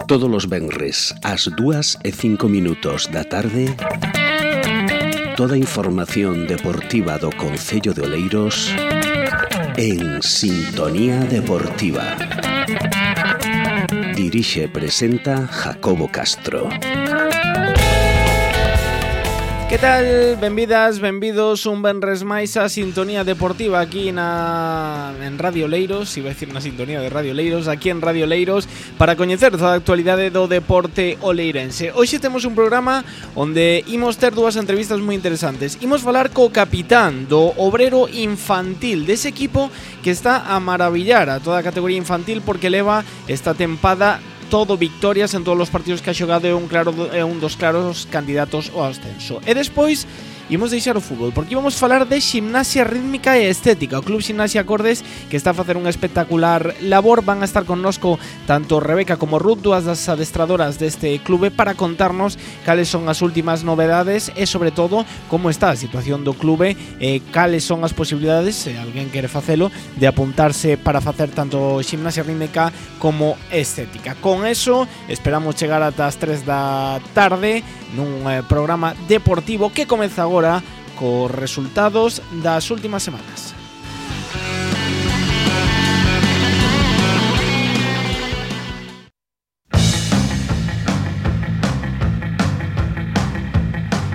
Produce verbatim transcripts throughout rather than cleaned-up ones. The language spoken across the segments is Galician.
Todos os venres ás dúas e cinco minutos da tarde, toda a información deportiva do concello de Oleiros en Sintonía Deportiva. Dirixe e presenta Jacobo Castro. Que tal? Benvidas, benvidos un venres máis a Sintonía Deportiva aquí na en Radio Oleiros, iba a decir na Sintonía de Radio Oleiros, aquí en Radio Oleiros, para coñecer toda a actualidade do deporte oleirense. Hoxe temos un programa onde imos ter dúas entrevistas moi interesantes. Imos falar co capitán do Obrero Infantil, dese equipo que está a maravillar a toda a categoría infantil porque leva esta tempada todo victorias en todos os partidos que ha xogado, é un claro é un dos claros candidatos ao ascenso. E despois imos deixar o fútbol, porque íbamos falar de Ximnasia Rítmica e Estética, o Club Ximnasia Acordes, que está a facer unha espectacular labor. Van a estar connosco tanto Rebeca como Ruth, dúas das adestradoras deste clube, para contarnos cales son as últimas novedades e, sobre todo, como está a situación do clube e cales son as posibilidades, se alguén quere facelo, de apuntarse para facer tanto Ximnasia Rítmica como Estética. Con eso, esperamos chegar ata as tres da tarde nun eh, programa deportivo que comeza agora cos resultados das últimas semanas.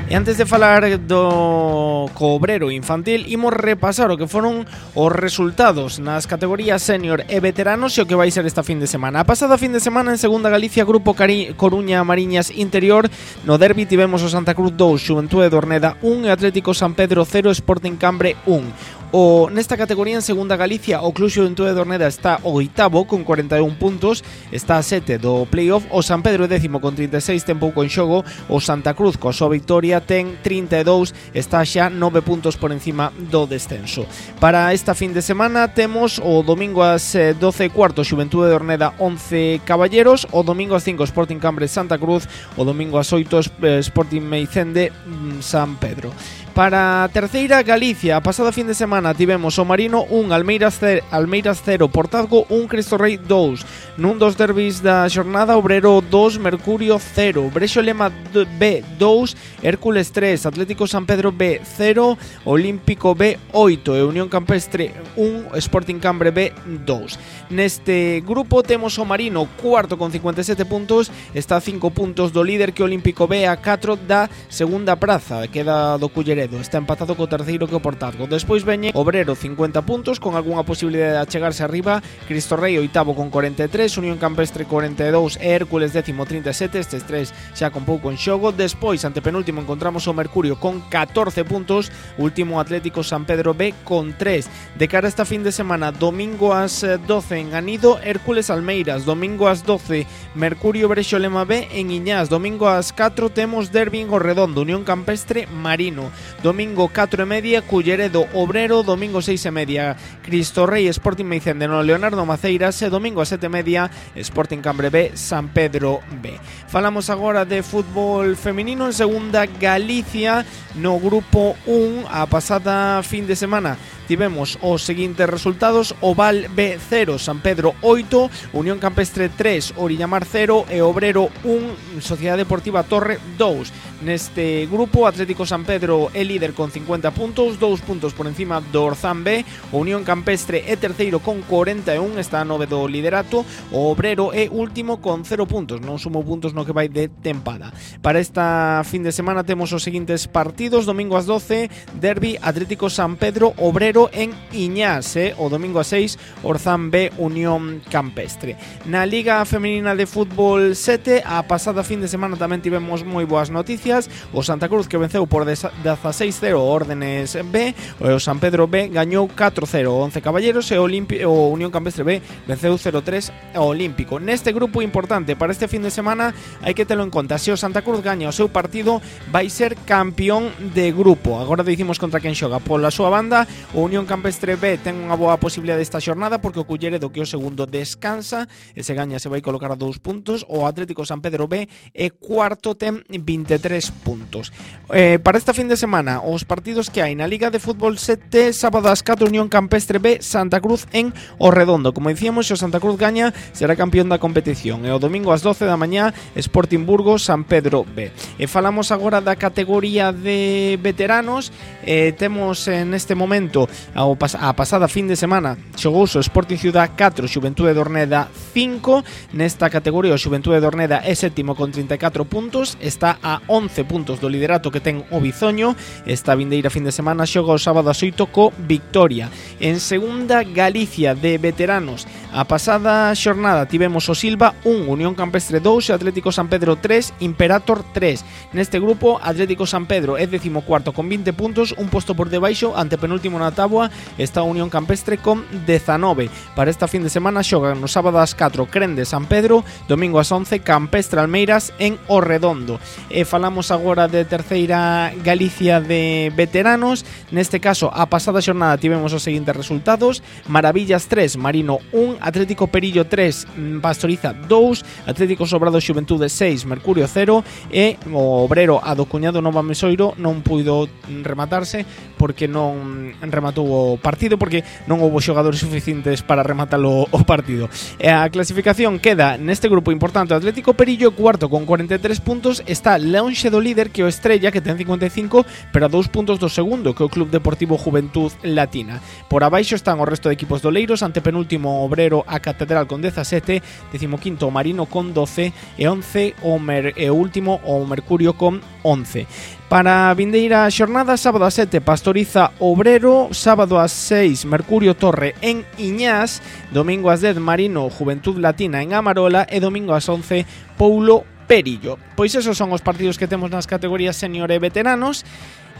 E antes de falar do Obrero Infantil, imos repasar o que foron os resultados nas categorías senior e veteranos e o que vai ser esta fin de semana. A pasada fin de semana en Segunda Galicia, Grupo Cari- Coruña Mariñas Interior, no derbi tivemos o Santa Cruz dous, Xuventude de Orneda un e Atlético San Pedro cero, Sporting Cambre un. O nesta categoría en Segunda Galicia, o Club Xuventude de Orneda está o oitavo con cuarenta e un puntos, está a sete do playoff. O San Pedro é décimo con trinta e seis, ten pouco en xogo. O Santa Cruz, coa súa victoria, ten trinta e dous, está xa nove puntos por encima do descenso. Para esta fin de semana temos o domingo ás doce e cuarto Xuventude de Orneda once Caballeros, o domingo ás cinco Sporting Cambre Santa Cruz, o domingo ás oito Sporting Meicende San Pedro. Para a terceira Galicia, a pasada fin de semana tivemos o Marino un, Almeiras cero, Portazgo un, Cristo Rei dous. Nun dos derbis da xornada, Obrero dous, Mercurio cero, Brexo Lema B dous, Hércules tres, Atlético San Pedro B cero, Olímpico B oito e Unión Campestre un, Sporting Cambre B dous. Neste grupo temos o Marino cuarto con cincuenta e sete puntos, está a cinco puntos do líder, que o Olímpico B, a catro da segunda praza, queda do Culleredo. Está empatado co terceiro, que o Portazgo. Despois veñe Obrero cincuenta puntos, con algunha posibilidade de achegarse arriba, Cristo Rei oitavo con cuarenta e tres, Unión Campestre cuarenta e dous e Hércules décimo trinta e sete, estes tres xa con pouco en xogo. Despois, ante penúltimo, encontramos o Mercurio con catorce puntos, último Atlético San Pedro B con tres. De cara a esta fin de semana, domingo ás doce en Anido, Hércules Almeiras, domingo ás doce Mercurio Brexo Lema B en Iñás, domingo ás catro temos derbi en Gorredondo, Unión Campestre Marino. Domingo catro e media Culleredo Obrero, domingo seis e media Cristo Rei Sporting Meicende no Leonardo Maceiras e domingo a sete e media Sporting Cambre B San Pedro B. Falamos agora de fútbol feminino en Segunda Galicia. No grupo un, a pasada fin de semana tivemos os seguintes resultados: Oval B cero, San Pedro oito, Unión Campestre tres, Orillamar cero e Obrero un, Sociedade Deportiva Torre dous. Neste grupo, Atlético San Pedro é líder con cincuenta puntos, dous puntos por encima do Orzán B. O Unión Campestre é terceiro con cuarenta e un, está a nove do liderato. O Obrero é último con cero puntos, non sumo puntos no que vai de tempada. Para esta fin de semana temos os seguintes partidos: domingo ás doce, derbi Atlético San Pedro Obrero en Iñás, eh? O domingo ás seis, Orzán B Unión Campestre. Na Liga Femenina de Fútbol sete, a pasada fin de semana tamén tivemos moi boas noticias. O Santa Cruz, que venceu por dieciséis cero o Órdenes B, o San Pedro B gañou catro cero o once Caballeros e o, Olimpi- o Unión Campestre B venceu cero tres ao Olímpico. Neste grupo importante para este fin de semana hai que telo en conta: se o Santa Cruz gaña o seu partido, vai ser campeón de grupo. Agora dicimos contra quen xoga. Pola súa banda, o Unión Campestre B ten unha boa posibilidade esta xornada, porque o Culleredo, que o segundo, descansa e se gaña se vai colocar a dous puntos. O Atlético San Pedro B é cuarto, ten vinte e tres tres puntos. Eh, para esta fin de semana, os partidos que hai na Liga de Fútbol sete, sábado ás catro, Unión Campestre B, Santa Cruz en O Redondo. Como dicíamos, se o Santa Cruz gaña, será campeón da competición. E o domingo ás doce da mañá, Sporting Burgos, San Pedro B. E falamos agora da categoría de veteranos. Eh, temos en este momento, ao pas- a pasada fin de semana, xogouse o Sporting Ciudad catro, Xuventude de Orneda cinco. Nesta categoría, o Xuventude de Orneda é sétimo con trinta e catro puntos, está a once puntos do liderato que ten o Bizoño. Esta vindeira fin de semana xoga o sábado ás oito co Victoria. En segunda Galicia de veteranos, a pasada xornada tivemos o Silva un, Unión Campestre dous, Atlético San Pedro tres, Imperator tres. Neste grupo, Atlético San Pedro é decimocuarto con vinte puntos, un posto por debaixo, antepenúltimo na táboa está a Unión Campestre con dezanove. Para esta fin de semana xogan no sábado ás catro Crende San Pedro, domingo ás once Campestre Almeiras en O Redondo. E falamos agora de terceira Galicia de veteranos. Neste caso, a pasada xornada tivemos os seguintes resultados: Maravillas tres, Marino un, Atlético Perillo tres, Pastoriza dous, Atlético Sobrado Xuventude seis, Mercurio cero, e o Obrero a do Cuñado Nova Mesoiro non puido rematarse porque non rematou o partido, porque non houbo xogadores suficientes para rematalo o partido. E a clasificación queda neste grupo importante: Atlético Perillo cuarto con cuarenta e tres puntos, está lonxe do líder que o Estrella, que ten cincuenta e cinco, pero a dous puntos do segundo, que é o Club Deportivo Juventud Latina. Por abaixo están o resto de equipos doleiros, antepenúltimo Obrero a Catedral con dezasete, decimoquinto o Marino con doce e once o, Mer, e o último o Mercurio con once. Para a vindeira xornada, sábado ás sete Pastoriza Obrero, sábado ás seis Mercurio Torre en Iñás, domingo ás dez Marino Juventud Latina en Amarola e domingo ás once Poulo Perillo. Pois esos son os partidos que temos nas categorías senior e veteranos.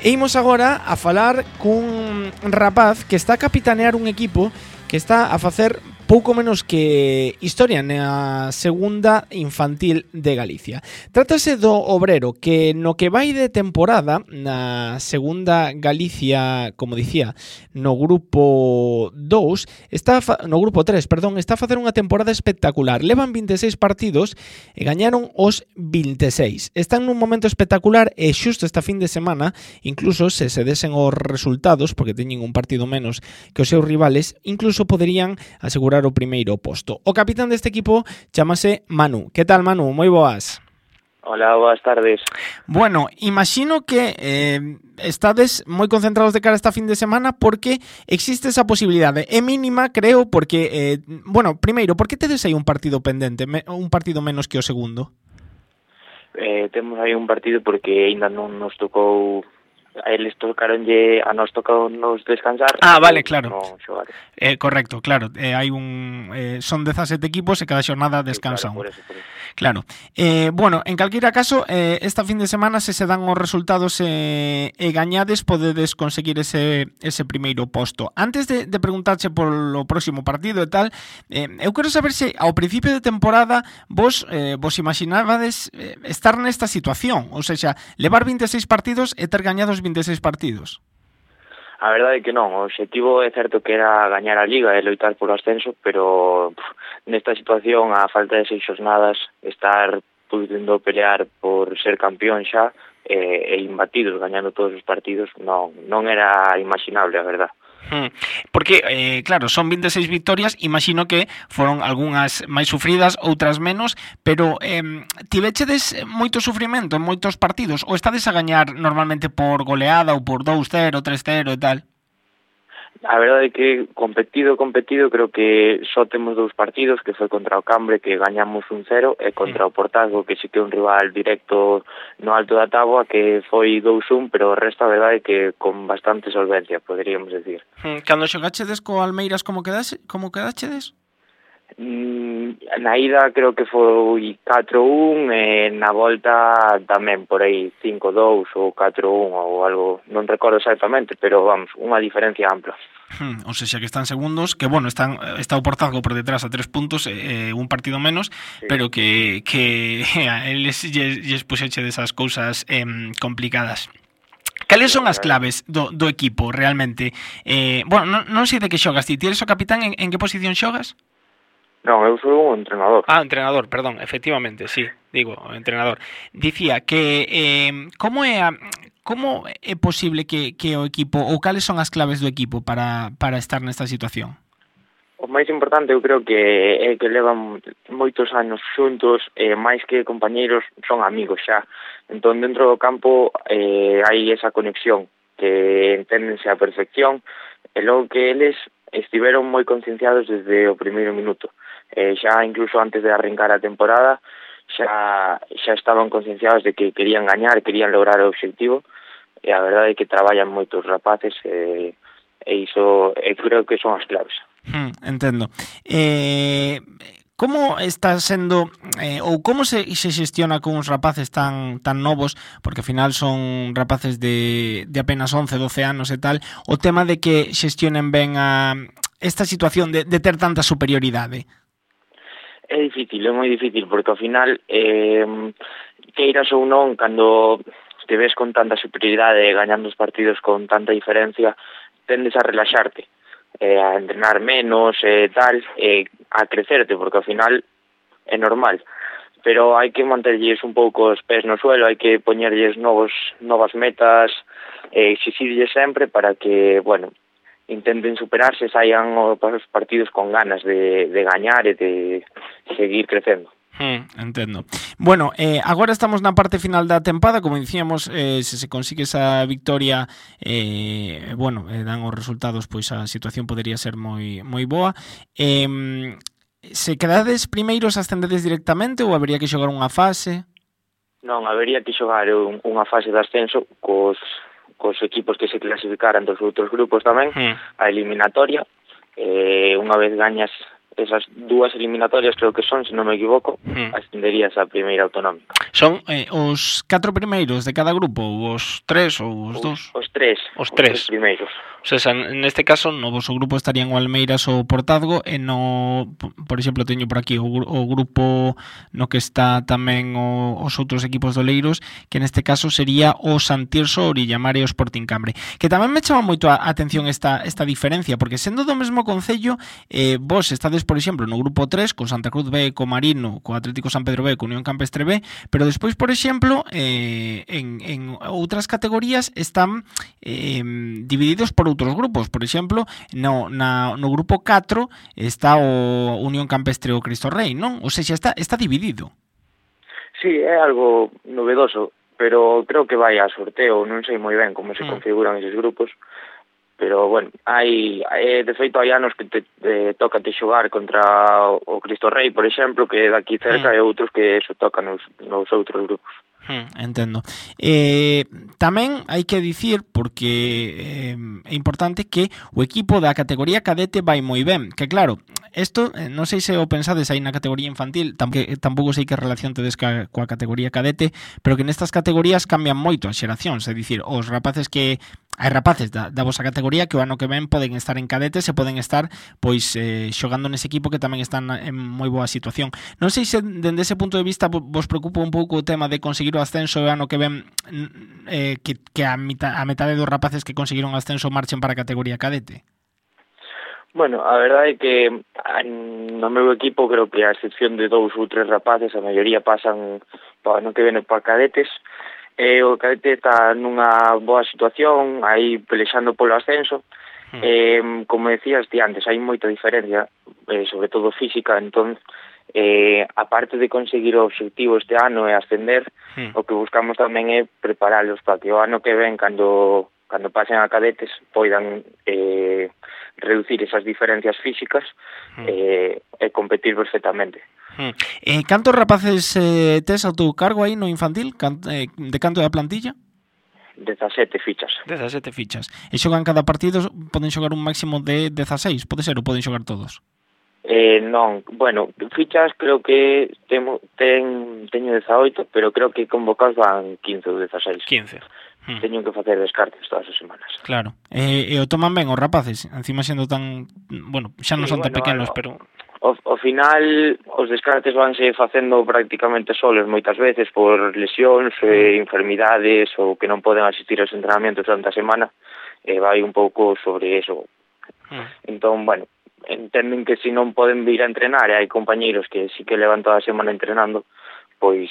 E imos agora a falar cun rapaz que está a capitanear un equipo que está a facer pouco menos que historia na segunda infantil de Galicia. Trátase do Obrero, que no que vai de temporada na segunda Galicia, como dicía, no grupo dous, está fa- no grupo tres, perdón, está a facer unha temporada espectacular. Levan vinte e seis partidos e gañaron os vinte e seis. Están nun momento espectacular e xusto esta fin de semana, incluso se se desen os resultados, porque teñen un partido menos que os seus rivales, incluso poderían asegurar o primeiro posto. O capitán deste equipo chamase Manu. Que tal, Manu? Moi boas. Hola, boas tardes. Bueno, imagino que eh, estades moi concentrados de cara a esta fin de semana porque existe esa posibilidade. É mínima, creo, porque, eh, bueno, primeiro, por que tedes aí un partido pendente, me, un partido menos que o segundo? Eh, temos aí un partido porque aínda non nos tocou, a eles tocaronlle, a nos tocou nos descansar. Ah, vale, claro. Non xogar. Eh, correcto, claro. Eh, hai un eh, son dezasete equipos e cada xornada descansa Sí, un. claro, por eso, por eso. Claro. Eh, bueno, en calquera caso, eh, esta fin de semana, se se dan os resultados eh, e gañades, podedes conseguir ese, ese primeiro posto. Antes de, de preguntarche polo próximo partido e tal, eh, eu quero saber se ao principio de temporada vos eh, vos imaginabades eh, estar nesta situación, ou seja, levar vinte e seis partidos e ter gañados vinte e seis partidos. A verdade é que non, o obxectivo é certo que era gañar a Liga e loitar por o ascenso, pero pff, nesta situación, a falta de seis xornadas, estar podendo pelear por ser campeón xa e, e imbatidos, gañando todos os partidos, non, non era imaginable, a verdade. Porque, eh, claro, son vinte e seis victorias, imagino que foron algunhas máis sufridas, outras menos, pero eh, tivechedes moito sufrimento en moitos partidos, ou estades a gañar normalmente por goleada ou por dous cero, tres cero e tal? A verdade é que competido, competido, creo que só temos dous partidos, que foi contra o Cambre, que gañamos un cero, e contra o Portazgo, que sí que é un rival directo no alto da táboa, que foi dous un, pero o resto a verdade é que con bastante solvencia, poderíamos decir. Cando xogachedes co Almeiras, como quedase, como quedachedes? Mm, na ida creo que foi catro un, e na volta tamén por aí cinco dous ou catro un ou algo, non recordo exactamente, pero vamos, unha diferencia ampla. Hmm, o sea, que están segundos, que bueno, están está o Portazgo por detrás a tres puntos, eh, un partido menos, sí. Pero que que a eles lles, lles puxeche desas cousas eh, complicadas. Cales son as claves do, do equipo realmente? Eh, bueno, non, non sei de que xogas ti, ti eres o capitán, en, en que posición xogas? Non, eu sou un entrenador. Ah, entrenador, perdón, efectivamente, sí. digo, o entrenador, dicía que eh, como é a, como é posible que, que o equipo, ou cales son as claves do equipo para, para estar nesta situación? O máis importante eu creo que é que levan moitos anos xuntos, eh, máis que compañeiros son amigos xa. Entón dentro do campo eh, hai esa conexión que enténdense a perfección e logo que eles estiveron moi concienciados desde o primeiro minuto. Eh, xa incluso antes de arrancar a temporada xa xa estaban concienciados de que querían gañar, querían lograr o obxectivo e a verdade é que traballan moitos rapaces e, e iso e creo que son as claves. Hmm, entendo. Eh, como está sendo eh, ou como se, se xestiona con uns rapaces tan tan novos, porque ao final son rapaces de, de apenas once, doce anos e tal, o tema de que xestionen ben a esta situación de, de ter tanta superioridade? É difícil, é moi difícil, porque ao final eh, queiras ou non, cando te ves con tanta superioridade gañando os partidos con tanta diferencia, tendes a relaxarte, eh, a entrenar menos e eh, tal, eh, a crecerte, porque ao final é normal. Pero hai que manterlles un pouco os pés no suelo, hai que poñerlles novos, novas metas, e exixirlles sempre para que, bueno, intenten superarse, saian os partidos con ganas de, de gañar e de seguir crecendo. Hmm, entendo. Bueno, eh, agora estamos na parte final da tempada, como dicíamos, eh, se se consigue esa victoria, eh, bueno, eh, dan os resultados, pois a situación podería ser moi moi boa. Eh, se quedades primeiros, ascendedes directamente ou habería que xogar unha fase? Non, habería que xogar un, unha fase de ascenso cos cos equipos que se clasificaran dos outros grupos tamén, mm. a eliminatoria. Eh, unha vez gañas esas dúas eliminatorias, creo que son, se non me equivoco, mm. ascenderías a primeira autonómica. Son eh, os catro primeiros de cada grupo, ou os tres, ou os, os dos? Os tres. Os tres. Os tres primeiros. O sea, neste caso, no vosso grupo estarían o Almeiras ou o Portazgo, e no, por exemplo, teño por aquí o, o grupo no que está tamén o, os outros equipos doleiros, que neste caso sería o Santirso, Orillamar e o Sporting Cambre. Que tamén me chama moito a atención esta, esta diferencia, porque sendo do mesmo concello, eh, vos estades, por exemplo, no grupo tres, con Santa Cruz B, co Marino, co Atlético San Pedro B, co Unión Campestre B, pero despois, por exemplo, eh, en, en outras categorías están eh, divididos por outros grupos. Por exemplo, no, na, no grupo catro está o Unión Campestre o Cristo Rei, non? Ou seja, está, está dividido. Sí, é algo novedoso, pero creo que vai a sorteo, non sei moi ben como se mm. configuran eses grupos, pero, bueno, hai, hai de feito hai anos que te, te toca te xogar contra o Cristo Rei, por exemplo, que daqui cerca, mm. e outros que eso toca nos, nos outros grupos. Hmm, entendo. Eh, tamén hai que dicir, porque eh, é importante, que o equipo da categoría cadete vai moi ben, que claro, isto, eh, non sei se o pensades aí na categoría infantil, tampouco, tampouco sei que relación tedes ca, coa categoría cadete, pero que nestas categorías cambian moito as xeracións, é dicir, os rapaces que hai rapaces da, da vosa categoría que o ano que ven poden estar en cadetes e poden estar pois eh, xogando nese equipo que tamén están en moi boa situación. Non sei se dende ese punto de vista vos preocupa un pouco o tema de conseguir o ascenso e ano que ven eh, que, que a, mitad, a metade dos rapaces que conseguiron o ascenso marchen para a categoría cadete. Bueno, a verdade é que no meu equipo creo que a excepción de dous ou tres rapaces, a maioría pasan para ano que ven para cadetes. Eh, o cadete está nunha boa situación, aí pelexando polo ascenso. Mm. Eh, como decías ti antes, hai moita diferencia, eh, sobre todo física, entón, eh, aparte de conseguir o obxectivo este ano e ascender, mm. o que buscamos tamén é preparalos para que o ano que ven, cando, cando pasen a cadetes, poidan eh, reducir esas diferencias físicas mm. eh, e competir perfectamente. Hmm. Eh, cantos rapaces eh, tes ao teu cargo aí no infantil? Can, eh, de canto da plantilla? dezasete fichas. dezasete fichas. E xogan cada partido, poden xogar un máximo de dezaseis, pode ser, ou poden xogar todos? Eh, non, bueno, fichas creo que temo, ten, teño dezaoito, pero creo que convocados van quince ou dezaseis. quince. Hmm. Teño que facer descartes todas as semanas. Claro. Eh, e o toman ben os rapaces, encima sendo tan, bueno, xa non sí, son tan bueno, pequenos, bueno, pero Ao, ao final, os descartes vanse facendo prácticamente solos moitas veces por lesións, eh, enfermidades ou que non poden asistir aos entrenamentos durante a semana, e eh, vai un pouco sobre eso. Mm. Entón, bueno, entenden que se non poden vir a entrenar e hai compañeiros que sí que levan toda a semana entrenando, pois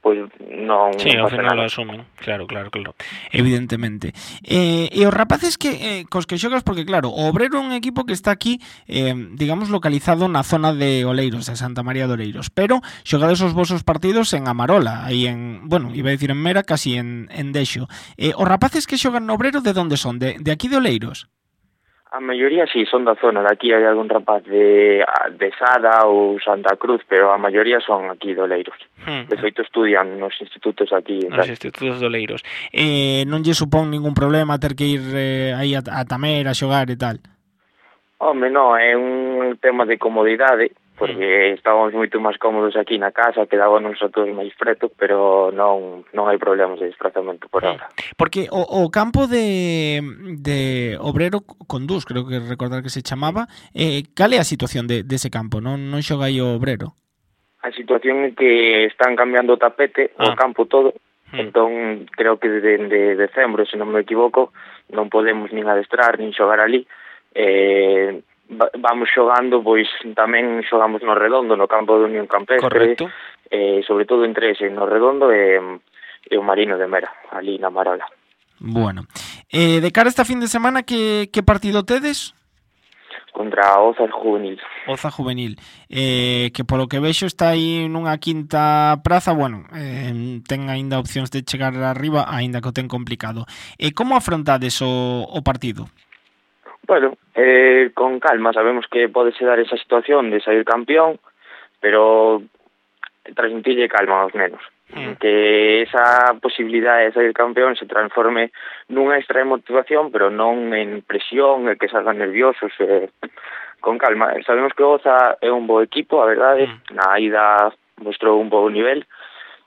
pois non... Sí, non ao final lo asumen, claro, claro, claro, evidentemente. Eh, e os rapaces que eh, cos que xogas, porque claro, o Obrero é un equipo que está aquí, eh, digamos, localizado na zona de Oleiros, de Santa María de Oleiros, pero xogades os vosos partidos en Amarola, aí en, bueno, iba a decir en Mera, casi en, en Dexo. Eh, os rapaces que xogan no Obrero, de onde son? De, de aquí de Oleiros? A maioría sí, son da zona, de aquí hai algún rapaz de, de Sada ou Santa Cruz, pero a maioría son aquí de Oleiros. Hmm. De feito estudian nos institutos aquí. Nos institutos de Oleiros. Eh, non lle supón ningún problema ter que ir eh, aí a, a Tamer a xogar e tal? Home, non, é un tema de comodidade, porque mm. estábamos moito máis cómodos aquí na casa, quedábamos a todos máis preto, pero non non hai problemas de desplazamento por ahora. Porque o, o campo de, de Obrero Condús, creo que recordar que se chamaba, eh, cal é a situación de, de ese campo? Non non xoga aí o Obrero? A situación é que están cambiando o tapete, ah. o campo todo, mm. entón creo que desde decembro, se non me equivoco, non podemos nin adestrar, nin xogar ali. Eh, vamos xogando, pois tamén xogamos no Redondo, no campo de Unión Campestre. Correcto. Eh, sobre todo entre ese, no Redondo e, e o Marino de Mera, ali na Marola. Bueno, eh, de cara a esta fin de semana, que, que partido tedes? Contra Oza Juvenil. Oza Juvenil, eh, que polo que vexo está aí nunha quinta praza, bueno, eh, ten aínda opcións de chegar arriba, aínda que o ten complicado. E eh, como afrontades o, o partido? Bueno, eh, con calma, sabemos que pode se dar esa situación de sair campeón, pero transmitirlle calma aos nenos. Mm. Que esa posibilidade de sair campeón se transforme nunha extra de motivación, pero non en presión, e que salgan nerviosos, eh, con calma. Sabemos que Oza é un bo equipo, a verdade, mm. na ida mostrou un bo nivel,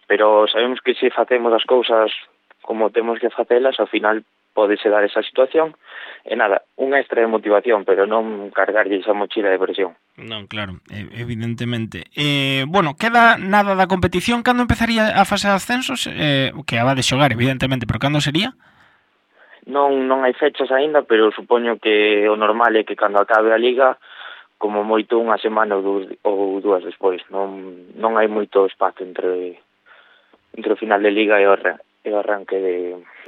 pero sabemos que se facemos as cousas como temos que facelas, ao final podese dar esa situación, e nada, unha extra de motivación, pero non cargarlle esa mochila de presión. Non, claro, evidentemente. Eh, bueno, queda nada da competición, cando empezaría a fase de ascensos? Eh, que a va de xogar, evidentemente, pero cando sería? Non non hai fechas aínda, pero supoño que o normal é que cando acabe a Liga, como moito unha semana ou dúas, ou dúas despois, non non hai moito espazo entre entre o final de Liga e o, e o arranque de,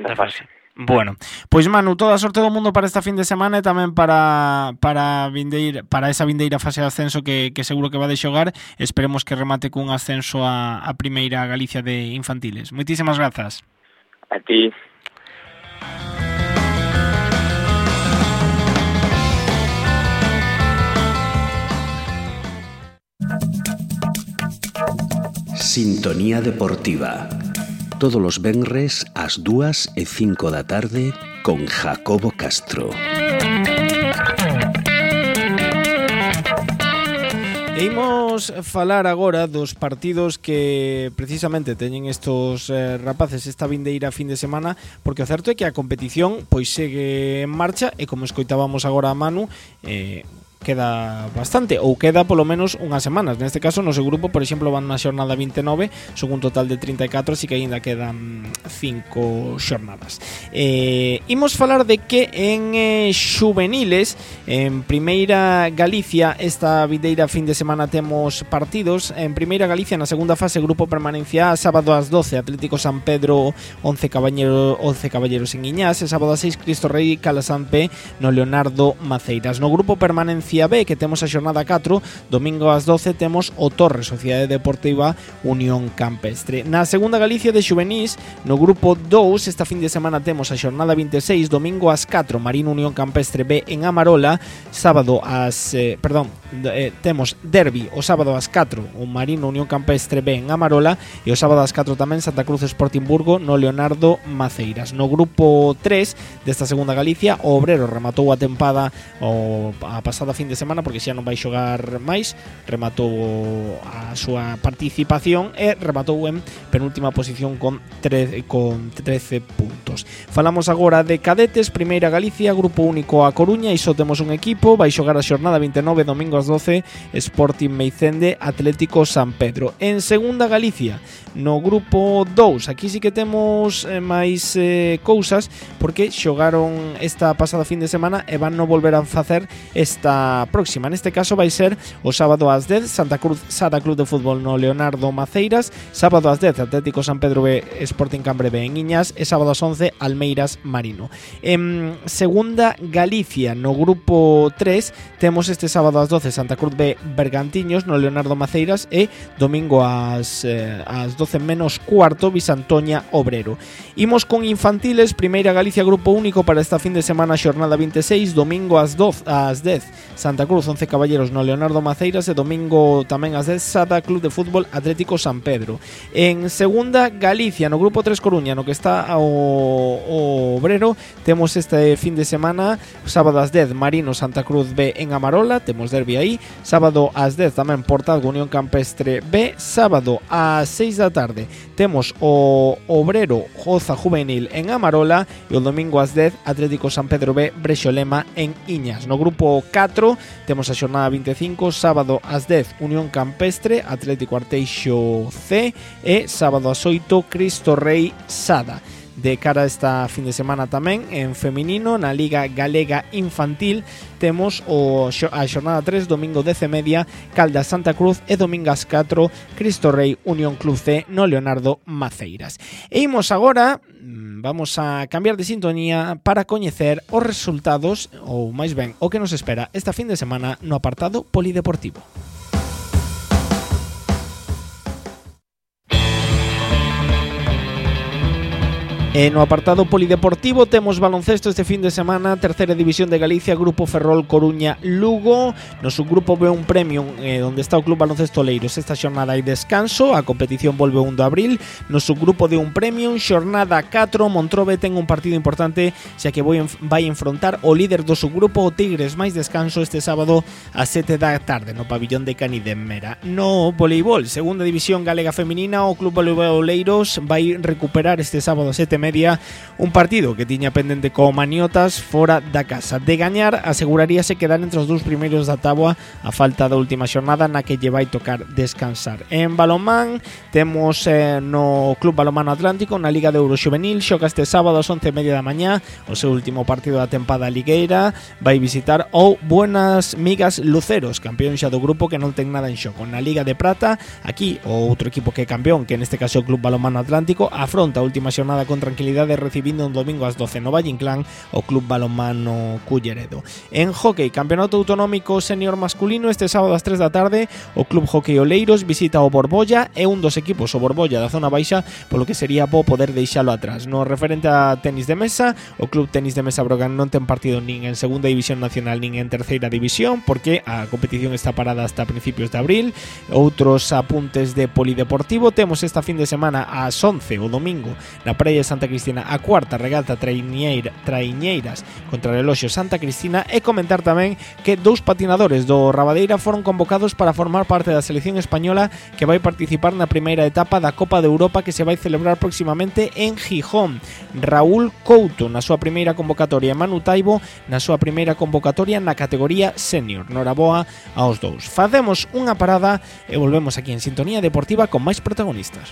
da fase. Bueno, pois Manu, toda a sorte do mundo para esta fin de semana e tamén para para vindeir, para esa vindeira fase de ascenso que, que seguro que va de xogar. Esperemos que remate cun ascenso a, a primeira Galicia de infantiles. Moitísimas grazas. A ti. Sintonía Deportiva. Todos los venres ás dúas e cinco da tarde con Jacobo Castro. E imos falar agora dos partidos que precisamente teñen estos eh, rapaces esta vindeira fin de semana, porque o certo é que a competición pois segue en marcha e como escoitábamos agora a Manu, eh, queda bastante, ou queda polo menos unhas semanas. Neste caso, no seu grupo, por exemplo, van na xornada vinte e nove, son un total de trinta e catro, así que aínda quedan cinco xornadas. Eh, imos falar de que en eh, xuveniles, en Primeira Galicia, esta vindeira fin de semana temos partidos. En Primeira Galicia, na segunda fase, grupo permanencia A, sábado ás doce, Atlético San Pedro once Caballero, once Caballeros en Iñás, e sábado ás seis, Cristo Rei Calasanpe no Leonardo Maceiras. No grupo permanencia B, que temos a xornada catro, domingo ás doce temos o Torres, Sociedade Deportiva Unión Campestre. Na segunda Galicia de xuvenís, no grupo dous, esta fin de semana temos a xornada vinte e seis, domingo ás catro, Marino Unión Campestre B en Amarola, sábado ás, eh, perdón, eh, temos derbi o sábado ás catro, o Marino Unión Campestre B en Amarola, e o sábado ás catro tamén Santa Cruz Sporting Burgo no Leonardo Maceiras. No grupo tres desta segunda Galicia, o Obrero rematou a tempada o a pasada fin de semana, porque xa non vai xogar máis, rematou a súa participación e rematou en penúltima posición con trece, con trece puntos. Falamos agora de cadetes, Primeira Galicia, grupo único a Coruña, e só temos un equipo, vai xogar a xornada vinte e nove, domingo ás doce, Sporting Meicende, Atlético San Pedro. En segunda Galicia, no grupo dous, aquí sí que temos eh, máis eh, cousas, porque xogaron esta pasada fin de semana e van non volver a facer esta semana próxima. Neste caso vai ser o sábado ás dez, Santa Cruz Sada Club de Fútbol no Leonardo Maceiras, sábado ás dez, Atlético San Pedro B, Sporting Cambre B en Iñas, e sábado ás once, Almeiras Marino. En segunda Galicia, no grupo tres, temos este sábado ás doce Santa Cruz B Bergantiños no Leonardo Maceiras, e domingo ás, eh, ás doce menos cuarto, Visantoña Obrero. Imos con infantiles, Primeira Galicia grupo único para esta fin de semana, xornada vinte e seis, domingo ás doce, ás dez, Santa Cruz once Caballeros no Leonardo Maceiras, e domingo tamén ás dez, Sada Club de Fútbol Atlético San Pedro. En segunda Galicia, no grupo tres Coruña, no que está o, o Obrero, temos este fin de semana, sábado ás dez, Marino Santa Cruz B en Amarola, temos derbi aí, sábado ás dez tamén Portazgo Unión Campestre B, sábado ás seis da tarde temos o Obrero Joza Juvenil en Amarola, e o domingo ás dez Atlético San Pedro B Brexolema en Iñas. No grupo catro temos a xornada vinte e cinco, sábado ás dez Unión Campestre Atlético Arteixo C, e sábado ás oito Cristo Rei Sada. De cara a esta fin de semana tamén en feminino, na Liga Galega Infantil temos o a xornada tres, domingo dez e media, Caldas Santa Cruz, e domingo ás catro Cristo Rei Unión Club C no Leonardo Maceiras. E imos agora, vamos a cambiar de sintonía para coñecer os resultados, ou máis ben o que nos espera esta fin de semana no apartado polideportivo. E no apartado polideportivo temos baloncesto este fin de semana, terceira división de Galicia, Grupo Ferrol Coruña Lugo. No subgrupo B un Premium, eh, onde está o Club Baloncesto Oleiros. Esta xornada hai descanso, a competición volve o un de abril. No subgrupo de un Premium, xornada catro, Montrobe ten un partido importante, xa que vai, vai enfrontar o líder do subgrupo, o Tigres, máis descanso este sábado ás sete da tarde no pabillón de Canidemera. No voleibol, segunda división galega feminina, o Club Voleibol Oleiros vai recuperar este sábado ás sete e media un partido que tiña pendente co Maniotas fora da casa. De gañar, aseguraríase quedar entre os dous primeiros da táboa a falta da última xornada na que lle vai tocar descansar. En balonmán temos eh, no Club Balonmano Atlántico, na Liga de Euroxuvenil, xoga este sábado ás once e media da mañá o seu último partido da tempada ligueira, vai visitar o Buenas Migas Luceros, campeón xa do grupo que non ten nada en xogo. Na Liga de Prata, aquí o outro equipo que é campeón, que neste caso é o Club Balonmano Atlántico, afronta a última xornada con tranquilidade recibindo un domingo ás doce no Valle Inclán o Club Balonmano Culleredo. En hockey, campeonato autonómico senior masculino, este sábado ás tres da tarde o Club Hockey Oleiros visita o Borbolla, e un dos equipos, o Borbolla da zona baixa, polo que sería bo poder deixalo atrás. No referente a tenis de mesa, o Club Tenis de Mesa Brogan non ten partido nin en segunda división nacional nin en terceira división, porque a competición está parada hasta principios de abril. Outros apuntes de polideportivo, temos esta fin de semana ás once o domingo na Praia de Santa Cristina a cuarta regata traiñeira, traiñeiras contra o Reloxo Santa Cristina, e comentar tamén que dous patinadores do Rabadeira foron convocados para formar parte da selección española que vai participar na primeira etapa da Copa de Europa que se vai celebrar próximamente en Gijón. Raúl Couto na súa primeira convocatoria e Manu Taibo na súa primeira convocatoria na categoría senior. Noraboa aos dous. Facemos unha parada e volvemos aquí en Sintonía Deportiva con máis protagonistas.